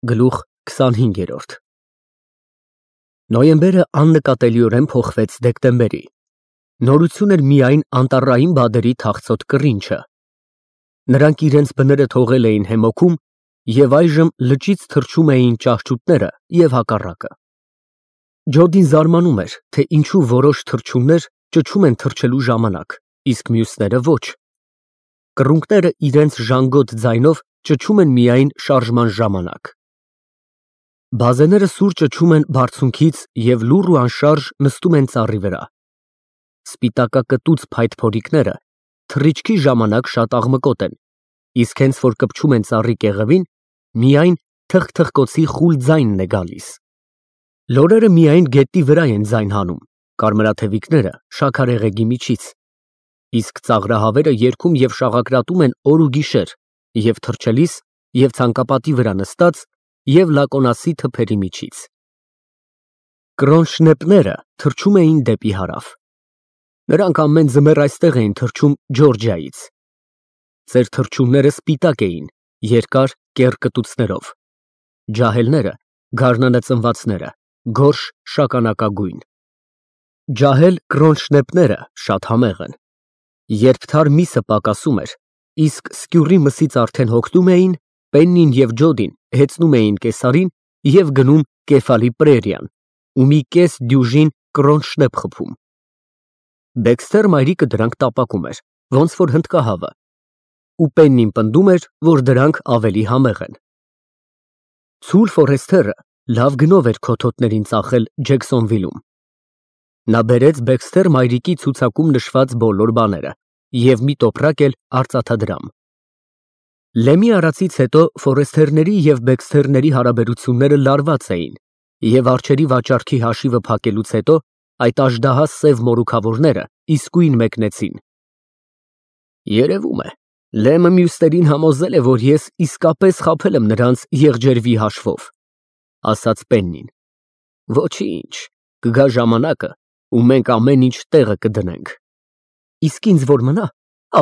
Գլուխ 25 Նոյեմբերը աննկատելիորեն փոխվեց դեկտեմբերի։ Նորություն էր միայն անտառային բադերի թախծոտ կռինչը։ Նրանք իրենց բները թողել էին հեմոքում և այժմ լճից թռչում էին ճահճուտները և հակառակը։ Ջոդին զարմանում էր, թե ինչու որոշ թռչուններ ճչում են թռչելու ժամանակ, իսկ մյուսները ոչ։ Կռունկները իրենց ժանգոտ ձայնով ճչում են միայն շարժման ժամանակ։ Բազեները սուր ճչում են բարձունքից և լուռ ու անշարժ նստում են ծառի վրա։ Սպիտակակտուց փայտ փորիկները թռիչքի ժամանակ շատ աղմկոտ են, իսկ հենց որ կպչում են ծառի կեղևին, միայն թխկոցի խուլ ձայնն է գալիս։ Լորերը միայն գետնի վրա են ձայն հանում, կարմրաթևիկները շաքարեղեգի միջից, իսկ ծաղրահավերը երգում և շաղակրատում են օր ու գիշեր, և թռչելիս, և ցանկապատի վրա նստած, և լակոնասի թփերի միջից։ Կրոնշնեպները թռչում էին դեպի հարավ։ Նրանք ամեն ձմեռ այստեղ էին թռչում Ջորջիայից։ Ձեր թռչունները սպիտակ էին, երկար կեռ կտուցներով, ջահելները, գարնանածնվածները, գորշ շագանակագույն։ Ջահել կրոնշնեպները շատ համեղ են։ Երբ թար միսը պակասում էր, իսկ սկյուռի մսից արդեն հոգնում էին, Պեննին և Ջոդին հեծնում էին կեսարին և գնում Կեֆալի պրերիան ու մի կես դյուժին կրոնշնեպ խփում։ Դեքսթեր մայրիկը դրանք տապակում էր, ոնց որ հնդկահավը, ու Պեննին պնդում էր, որ դրանք ավելի համեղ են։ Ցուլ Ֆորեսթերը լավ գնով էր քոթոտներին ծախել Ջեքսոնվիլում։ Նա բերեց Բեքսթեր մայրիկի ցուցակում նշված բոլոր բաները և մի տոպրակ էլ արծաթադրամ։ Լեմի արածից հետո Ֆորեսթերների և Բեքսթերների հարաբերությունները լարված էին, և արջերի վաճառքի հաշիվը փակելուց հետո այդ աժդահաս սև մորուքավորները իսկույն մեկնեցին։ Երևում է, Լեմը մյուսներին համոզել է, որ ես իսկապես խաբել եմ նրանց եղջերվի հաշվով, ասաց Պեննին։ Ոչինչ, կգա ժամանակը, ու մենք ամեն ինչ տեղը կդնենք։ Իսկ ինձ որ մնա,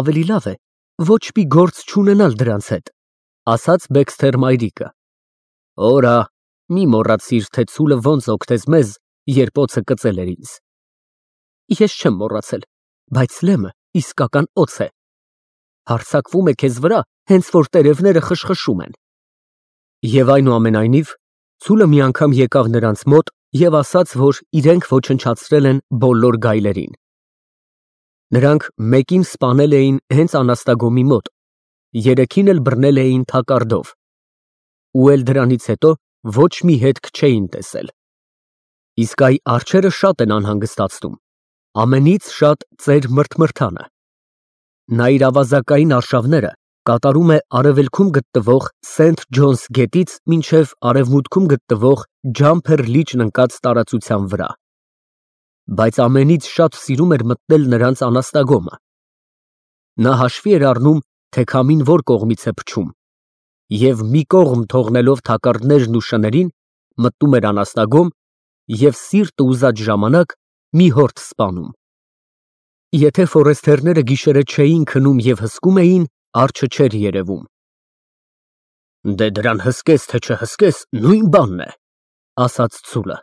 ավելի լավ է ոչ մի գործ չունենալ դրանց հետ, ասաց Բեքսթեր մայրիկը։ Օրա, մի մոռացիր, թե ցուլը ոնց օգնեց մեզ, երբ օձը կծել էր ինձ։ Ես չեմ մոռացել, բայց Լեմը իսկական օձ է։ Հարձակվում է քեզ վրա, հենց որ տերևները խշխշում են։ Եվ այնուամենայնիվ, ցուլը մի անգամ եկավ նրանց մոտ և ասաց, որ իրենք ոչնչացրել են բոլոր գայլերին։ Նրանք մեկին սպանել էին հենց անաստագոմի մոտ, երեքին էլ բռնել էին թակարդով, ու էլ դրանից հետո ոչ մի հետք չէին տեսել։ Իսկ այ արջերը շատ են անհանգստացնում, ամենից շատ ծեր մրթմրթանը։ Նա իր ավազակային արշավները կատարում է արևելքում գտնվող Սենթ Ջոնս գետից մինչև արևմուտքում գտնվող Ջամփեր լիճն ընկած տարածության վրա։ Բայց ամենից շատ սիրում էր մտնել նրանց անաստագոմը։ Նա հաշվի էր առնում, թե քամին որ կողմից է փչում, և մի կողմ թողնելով թակարդներն ու շներին, մտնում էր անաստագոմ և սիրտը ուզած ժամանակ մի հորդ սպանում։ Եթե Ֆորեսթերները գիշերը չէին քնում և հսկում էին, արջը չէր երևում։ Դե դրան հսկես, թե չհսկես, նույն բանն է, ասաց ցուլը։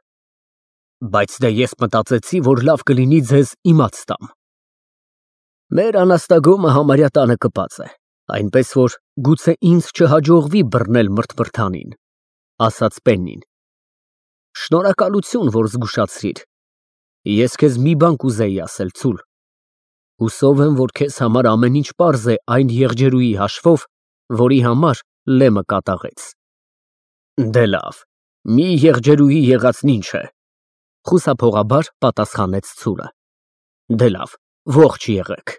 Բայց դե ես մտածեցի, որ լավ կլինի ձեզ իմաց տամ։ Մեր անաստագոմը համարյա տանը կպած է, այնպես որ գուցե ինձ չհաջողվի բռնել մրթմրթանին, ասաց Պեննին։ Շնորհակալություն, որ զգուշացրիր։ Ես քեզ մի բան կուզեի ասել, ցուլ։ Հուսով եմ, որ քեզ համար ամեն ինչ պարզ է այն եղջերուի հաշվով, որի համար Լեմը կատաղեց։ Դե լավ, մի եղջերուի եղածն ինչ է, խուսափողաբար պատասխանեց ցուլը։ Դե լավ, ողջ եղեք։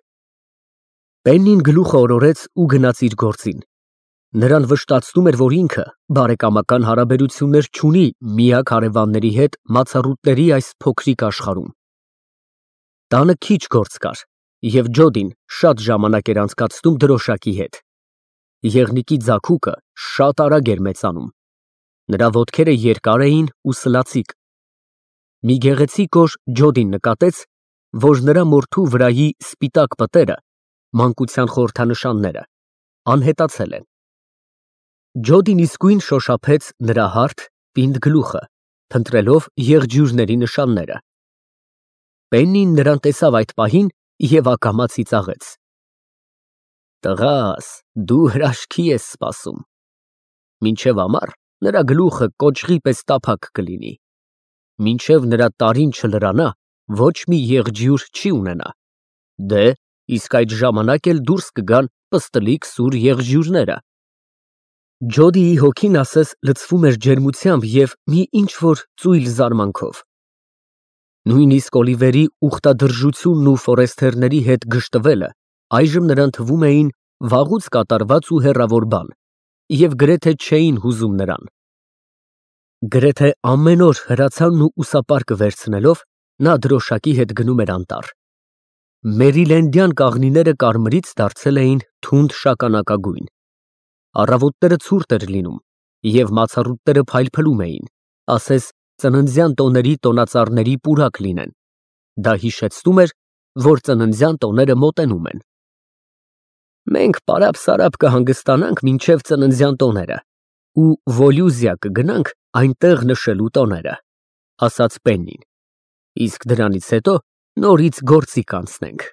Պեննին գլուխը օրորեց ու գնաց իր գործին։ Նրան վշտացնում էր, որ ինքը բարեկամական հարաբերություններ չունի միակ հարևանների հետ մացառուտների այս փոքրիկ աշխարհում։ Տանը քիչ գործ կար, և Ջոդին շատ ժամանակ էր անցկացնում դրոշակի հետ։ Եղնիկի ձագուկը շատ արագ էր մեծանում։ Նրա ոտքերը երկար էին ու սլացիկ։ Մի գեղեցիկ օր Ջոդին նկատեց, որ նրա մորթու վրայի սպիտակ պտերը, մանկության խորհրդանշանները, անհետացել են։ Ջոդին իսկույն շոշափեց նրա հարթ, պինդ գլուխը, փնտրելով եղջյուրների նշանները։ Պեննին նրան տեսավ այդ պահին և ակամա ծիծաղեց։ Տղաս, դու հրաշքի ես սպասում։ Մինչև ամառ նրա գլուխը կոճղի պես տափակ կլինի։ Մինչև նրա տարին չլրանա, ոչ մի եղջյուր չի ունենա։ Դե, իսկ այդ ժամանակ էլ դուրս կգան պստլիկ սուր եղջյուրները։ Ջոդիի հոգին ասես լցվում էր ջերմությամբ և մի ինչ-որ ծույլ զարմանքով։ Նույնիսկ Օլիվերի ուխտադրժությունն ու ֆորեսթերների հետ գժտվելը այժմ նրան թվում էին վաղուց կատարված ու հեռավոր բան և գրեթե չէին հուզում նրան։ Գրեթե ամեն օր հրացանն ու ուսապարկը վերցնելով, նա դրոշակի հետ գնում էր անտառ։ Մերիլենդյան կաղնիները կարմրից դարձել էին թունդ շագանակագույն։ Առավոտները ցուրտ էր լինում, և մացառուտները փայլփլում էին, ասես ծննդյան տոների տոնածառների պուրակ լինեն։ Դա հիշեցնում էր, որ ծննդյան տոները մոտենում են։ Մենք պարապ-սարապ կհանգստանանք մինչև ծննդյան տոները ու Վոլյուզիա կգնանք այնտեղ նշելու տոները, ասաց Պեննին, իսկ դրանից հետո նորից գործի կանցնենք։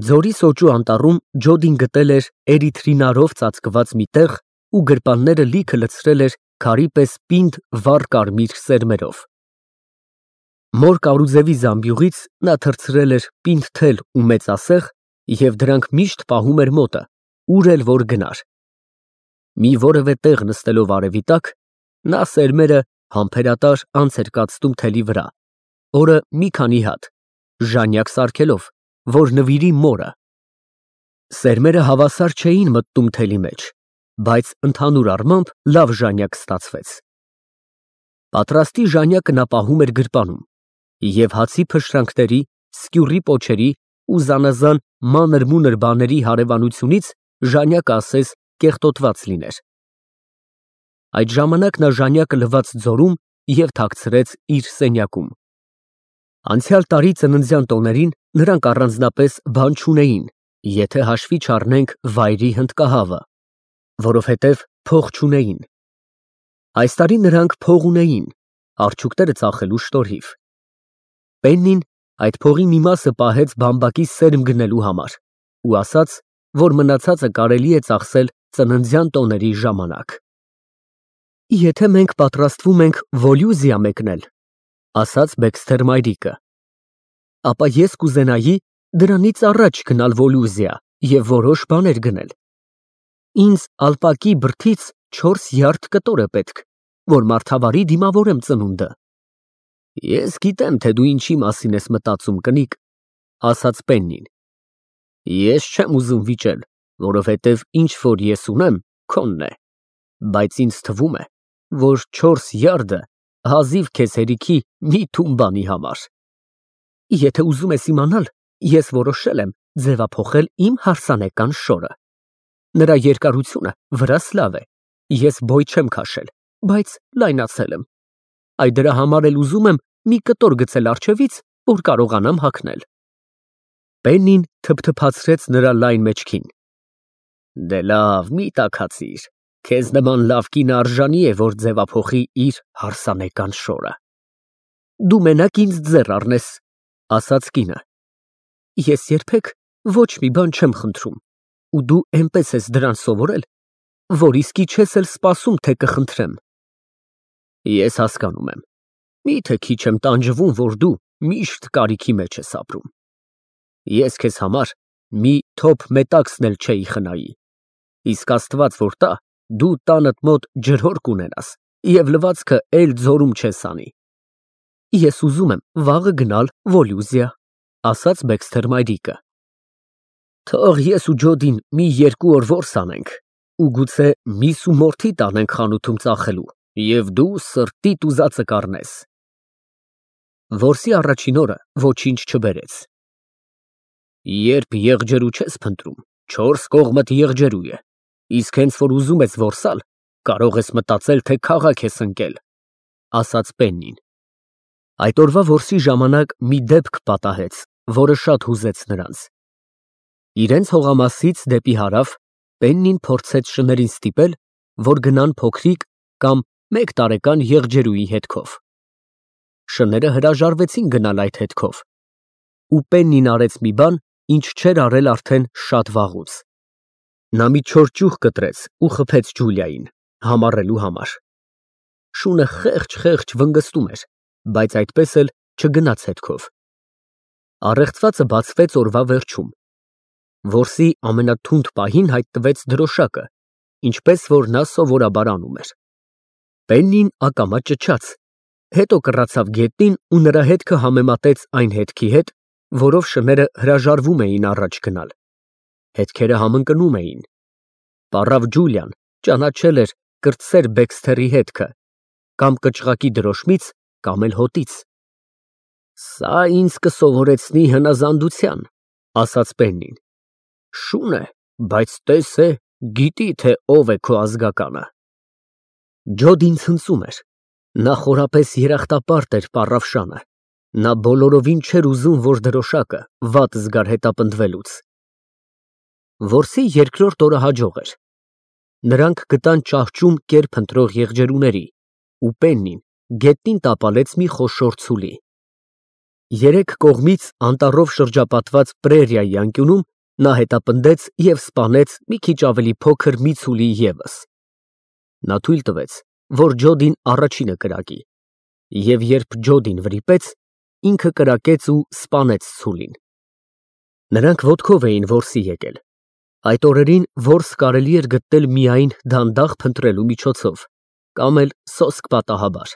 Ձորի սոճու անտառում Ջոդին գտել էր էրիթրինարով ծածկված մի տեղ ու գրպանները լիքը լցրել էր քարի պես պինդ վառ կարմիր սերմերով։ Մոր Կարուզևի զամբյուղից նա թրծրել էր պինդ թել ու մեծասեղ և դրանք միշտ պահում էր մոտը, ուր էլ որ գնար։ Մի որևէ տեղ նստելով արևի տակ, նա սերմերը համբերատար անց էր կացնում թելի վրա, օրը մի քանի հատ, ժանյակ սարքելով, որ նվիրի մորը։ Սերմերը հավասար չէին մտնում թելի մեջ, բայց ընդհանուր առմամբ լավ ժանյակ ստացվեց։ Պատրաստի ժանյակը նա պահում էր գրպանում և հացի փշրանքների, սկյուռի պոչերի ու զանազան մանր-մունր բաների հարևանությունից ժանյակը ասես կեղտոտված լիներ։ Այդ ժամանակ նա ժանյակը լվաց ձորում և թաքցրեց իր սենյակում։ Անցյալ տարի ծննդյան տոներին նրանք առանձնապես բան չունեին, եթե հաշվի չառնենք վայրի հնդկահավը, որովհետև փող չունեին։ Այս տարի նրանք փող ունեին, արջուկները ծախելու շնորհիվ։ Պեննին այդ փողի մի մասը պահեց բամբակի սերմ գնելու համար ու ասաց, որ մնացածը կարելի է ծախսել ծննդյան տոների ժամանակ։ Եթե մենք պատրաստվում ենք Վոլյուզիա մեկնել, ասաց Բեքսթեր մայրիկը, ապա ես կուզենայի դրանից առաջ գնալ Վոլյուզիա և որոշ բաներ գնել։ Ինձ ալպակի բրդից 4 յարդ կտոր է պետք, որ մարդավարի դիմավորեմ ծնունդը։ Ես գիտեմ, թե դու ինչի մասին ես մտածում, կնիկ, ասաց Պեննին։ Ես չեմ ուզում վիճել, որովհետև ինչ որ ես ունեմ, քոնն է, բայց ինձ թվում է, որ 4 յարդը հազիվ քեզ հերիքի մի թուն բանի համար։ Եթե ուզում ես իմանալ, ես որոշել եմ ձևափոխել իմ հարսանեկան շորը։ Նրա երկարությունը վրաս լավ է, ես բոյ չեմ քաշել, բայց լայնացել եմ։ Այ դրա համար էլ ուզում եմ մի կտոր գցել առջևից, որ կարողանամ հագնել։ Պեննին թփթփացրեց նրա լայն մեջքին։ Դե լավ, մի տաքացիր, քեզ նման լավ կինը արժանի է, որ ձևափոխի իր հարսանեկան շորը։ Դու մենակ ինձ ձեռ առնես, ասաց կինը։ Ես երբեք ոչ մի բան չեմ խնդրում, ու դու էնպես ես դրան սովորել, որ իսկի չես էլ սպասում, թե կխնդրեմ։ Ես հասկանում եմ, միթե քիչ եմ տանջվում, որ դու միշտ կարիքի մեջ ես ապրում։ Ես քեզ համար մի թոփ մետաքսն էլ չէի խնայի, իսկ Աստված որ տա, դու տանդ մոտ ջրհոր կունենաս և լվացքը էլ ձորում չես անի։ Ես ուզում եմ վաղը գնալ Վոլյուզիա, ասաց Բեքսթեր մայրիկը։ Թող ես ու Ջոդին մի 2 օր որս անենք ու գուցե միս ու մորթի տանենք խանութում ծախելու, և դու սրտիդ ուզածը կառնես։ Որսի առաջին օրը ոչինչ չբերեց։ Երբ եղջերու չես փնտրում, 4 կողմդ եղջերու է, իսկ հենց որ ուզում ես որսալ, կարող ես մտածել, թե քաղաք ես ընկել, ասաց Պեննին։ Այդ օրվա որսի ժամանակ մի դեպք պատահեց, որը շատ հուզեց նրանց։ Իրենց հողամասից դեպի հարավ Պեննին փորձեց շներին ստիպել, որ գնան փոքրիկ կամ 1 տարեկան եղջերուի հետքով։ Շները հրաժարվեցին գնալ այդ հետքով, ու Պեննին արեց մի բան, ինչ չէր արել արդեն շատ վաղուց։ Նա մի չոր ճյուղ կտրեց ու խփեց Ջուլիային, համառելու համար։ Շունը խեղճ վնգստում էր, բայց այդպես էլ չգնաց հետքով։ Առեղծվածը բացվեց օրվա վերջում։ Որսի ամենաթունդ պահին հայտնվեց դրոշակը, ինչպես որ նա սովորաբար անում էր։ Պեննին ակամա ճչաց, հետո կռացավ գետնին ու նրա հետքը համեմատեց այն հետքի հետ, որով շները հրաժարվում էին առաջ գնալ։ Հետքերը համընկնում էին։ Պառավ Ջուլիան ճանաչել էր կրտսեր Բեքսթերի հետքը, կամ կճղակի դրոշմից, կամ էլ հոտից։ Սա ինձ կսովորեցնի հնազանդության, ասաց Պեննին։ Շուն է, բայց տես է, գիտի, թե ով է քո ազգականը։ Ջոդին ցնծում էր։ Նա խորապես երախտապարտ էր պառավ Շանը։ Նա բոլորովին չէր ուզում, որ դրոշակը վատ զգար հետապնդվելուց։ Որսի երկրորդ օրը հաջող էր։ Նրանք գտան ճահճում կեր փնտրող եղջերուների, ու Պեննին գետնին տապալեց մի խոշոր ցուլի։ 3 կողմից անտառով շրջապատված պրերիայի անկյունում նա հետապնդեց և սպանեց մի քիչ ավելի փոքր մի ցուլի ևս։ Նա թույլ տվեց, որ Ջոդին առաջինը կրակի, և երբ Ջոդին վրիպեց, ինքը կրակեց ու սպանեց ցուլին։ Նրանք ոտքով էին որսի եկել։ Այդ օրերին որս կարելի էր գտնել միայն դանդաղ փնտրելու միջոցով, կամ էլ սոսկ պատահաբար։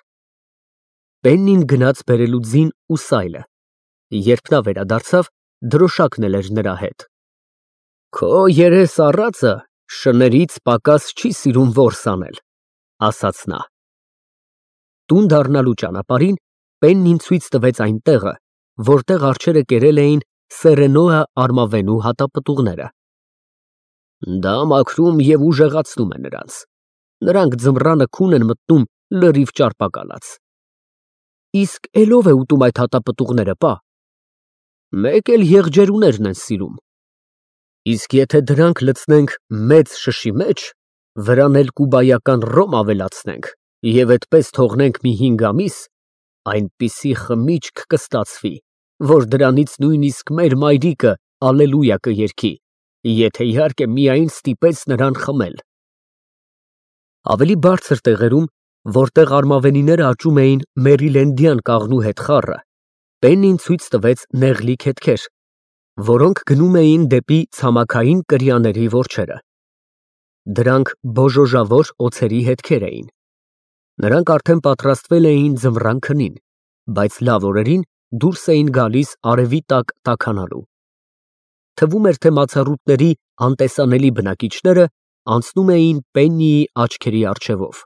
Պեննին գնաց բերելու ձին ու սայլը։ Երբ նա վերադարձավ, դրոշակն էլ էր նրա հետ։ Քո երես առածը շներից պակաս չի սիրում որս անել, ասաց նա։ Տուն դառնալու ճանապարհին Պեննին ցույց տվեց այն տեղը, որտեղ արջերը կերել էին Սերենոա արմավենու հատապտուղները։ Դա մաքրում և ուժեղացնում է նրանց։ Նրանք ձմռանը քուն են մտնում լրիվ ճարպակալած։ Իսկ էլով է ուտում այդ հատապտուղները, պա։ Մեկ էլ եղջերուներն են սիրում։ Իսկ եթե դրանք լցնենք մեծ շշի մեջ, վրան էլ կուբայական ռոմ ավելացնենք և այդպես թողնենք մի 5 ամիս, այնպիսի խմիչք կստացվի, որ դրանից նույնիսկ մեր մայրիկը ալելույա կերգի, եթե իհարկե միայն ստիպես նրան խմել։ Ավելի բարձր տեղերում, որտեղ արմավենիները աճում էին մերիլենդյան կաղնու հետ խառը, Պեննին ցույց տվեց նեղլիկ հետքեր, որոնք գնում էին դեպի ցամաքային կրիաների որջերը։ Դրանք բոժոժավոր օձերի հետքեր էին։ Նրանք արդեն պատրաստվել էին ձմռան քնին, բայց լավ օրերին դուրս էին գալիս արևի տակ տաքանալու։ Թվում էր, թե մացառուտների անտեսանելի բնակիչները անցնում էին Պեննիի աչքերի առջևով։